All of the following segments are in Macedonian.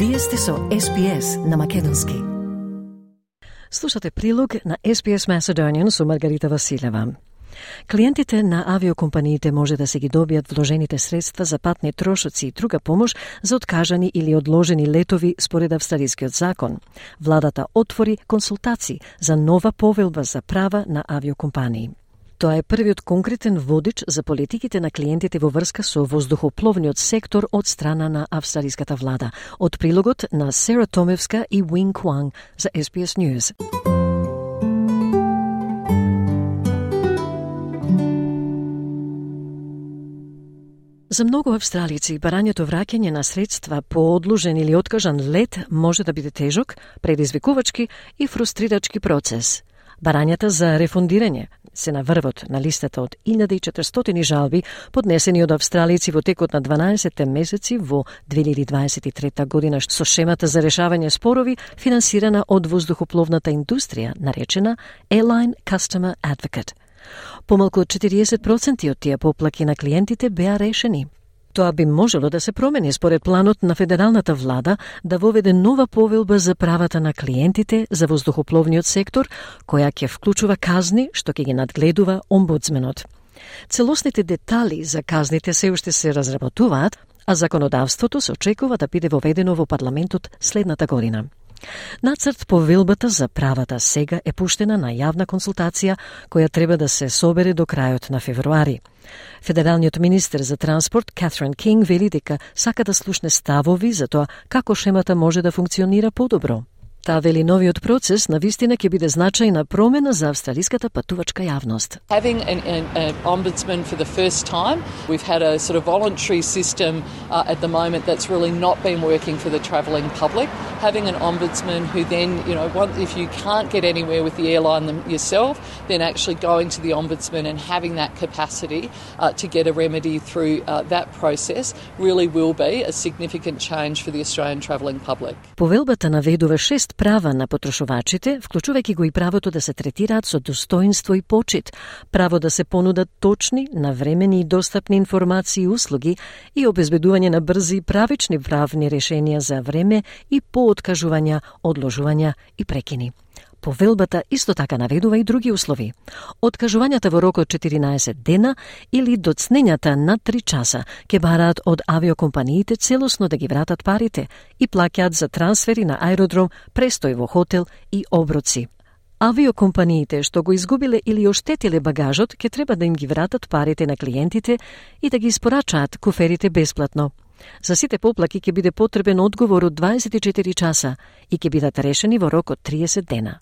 Вие сте со SPS на македонски. Слушате прилог на SPS Macedonian со Маргарита Василева. Клиентите на авиокомпаниите може да се ги добијат вложените средства за патни трошоци и друга помош за откажани или одложени летови според австралискиот закон. Владата отвори консултации за нова повелба за права на авиокомпании. Тоа е првиот конкретен водич за политиките на клиентите во врска со воздухопловниот сектор од страна на австралиската влада. Од прилогот на Сера Томевска и Wing Kwang за SPS News. За многу австралици, барањето враќање на средства по одложен или откажан лет може да биде тежок, предизвикувачки и фрустрирачки процес. Барањата за рефундирање се на врвот на листата од 1400 жалби поднесени од австралици во текот на 12 месеци во 2023 година со шемата за решавање спорови финансирана од воздухопловната индустрија, наречена Airline Customer Advocate. Помалку од 40% од тие поплаки на клиентите беа решени. Тоа би можело да се промени според планот на федералната влада да воведе нова повелба за правата на клиентите за воздухопловниот сектор, која ќе вклучува казни што ќе ги надгледува омбудсменот. Целосните детали за казните се уште се разработуваат, а законодавството се очекува да биде воведено во парламентот следната година. Нацрт повелбата за правата сега е пуштена на јавна консултација која треба да се собере до крајот на февруари. Федералниот министер за транспорт Катрин Кинг вели дека сака да слушне ставови за тоа како шемата може да функционира подобро. Таа вели новиот процес на вистина ќе биде значајна промена за австралиската патувачка јавност. Having an ombudsman for the first time, we've had a sort of voluntary system at the moment that's really not been working for the travelling public. Having an ombudsman who then, if you can't get anywhere with the airline yourself, then actually going to the ombudsman and having that capacity to get a remedy through that process really will be a significant change for the Australian travelling public. Повелбата наведува 6 права на потрошувачите, вклучувајќи го и правото да се третираат со достоинство и почит, право да се понудат точни, навремени и достапни информации и услуги и обезбедување на брзи и правични правни решенија за време и по откажувања, одложувања и прекини. Повелбата исто така наведува и други услови. Откажувањата во рок од 14 дена или доцнењата на 3 часа ќе бараат од авиокомпаниите целосно да ги вратат парите и плаќаат за трансфери на аеродром, престој во хотел и оброци. Авиокомпаниите што го изгубиле или оштетиле багажот ќе треба да им ги вратат парите на клиентите и да ги испорачаат куферите бесплатно. За сите поплаки ќе биде потребен одговор од 24 часа и ќе бидат решени во рок од 30 дена.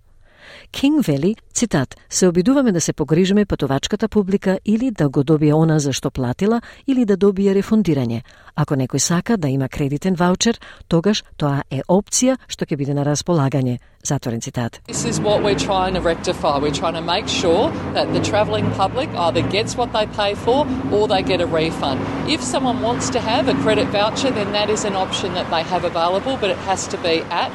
Кинг вели, цитат, се обидуваме да се погрижиме патувачката публика или да го добие она за што платила или да добие рефундирање. Ако некој сака да има кредитен ваучер, тогаш тоа е опција што ќе биде на располагање. Затворен цитат. This is what we're trying to rectify. We're trying to make sure that the travelling public either gets what they pay for or they get a refund. If someone wants to have a credit voucher, then that is an option that they have available, but it has to be at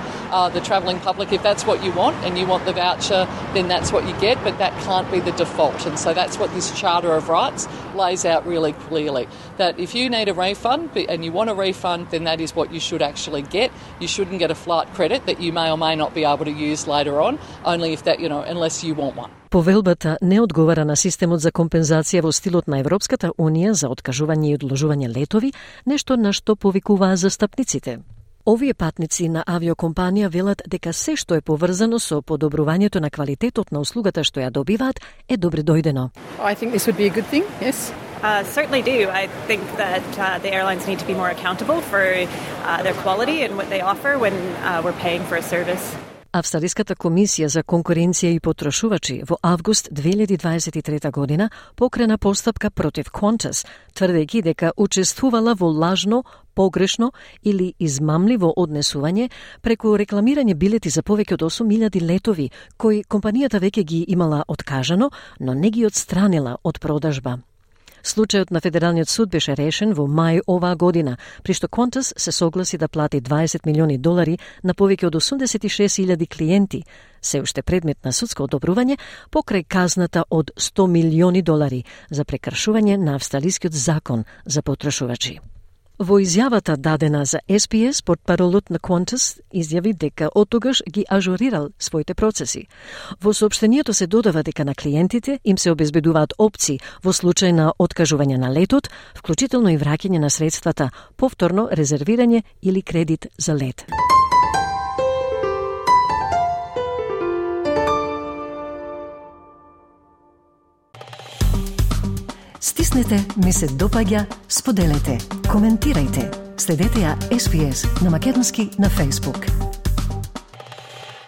the travelling public. If that's what you want and you want the voucher, then that's what you get, but that can't be the default. And so that's what this Charter of Rights lays out really clearly. That if you need a refund and you want a refund, then that is what you should actually get. You shouldn't get a flight credit that you may or may not be able to use later on, only if that, unless you want one. Повелбата не одговара на системот за компензација во стилот на Европската Унија за откажување и одложување летови, нешто на што повикуваа застапниците. Овие патници на авиокомпанија велат дека се што е поврзано со подобрувањето на квалитетот на услугата што ја добиваат е добре дојдено. I think this would be a good thing, yes. Certainly do. I think that the airlines need to be more accountable for their quality and what they offer when we're paying for a service. Австралиската комисија за конкуренција и потрошувачи во август 2023 година покрена постапка против Qantas, тврдејќи дека учествувала во лажно, погрешно или измамливо однесување преку рекламирање билети за повеќе од 8.000 летови, кои компанијата веќе ги имала откажано, но не ги отстранила од продажба. Случајот на Федералниот суд беше решен во мај оваа година, при што Qantas се согласи да плати $20 милиони на повеќе од 86.000 клиенти, се уште предмет на судско одобрување покрај казната од $100 милиони за прекршување на австралискиот закон за потрошувачи. Во изјавата дадена за SPS, портпаролот на Qantas изјави дека оттогаш ги ажурирал своите процеси. Во соопштението се додава дека на клиентите им се обезбедуваат опции во случај на откажување на летот, вклучително и враќање на средствата, повторно резервирање или кредит за лет. Стиснете, ми се допаѓа, споделете, коментирајте. Следете ја SPS на македонски на Facebook.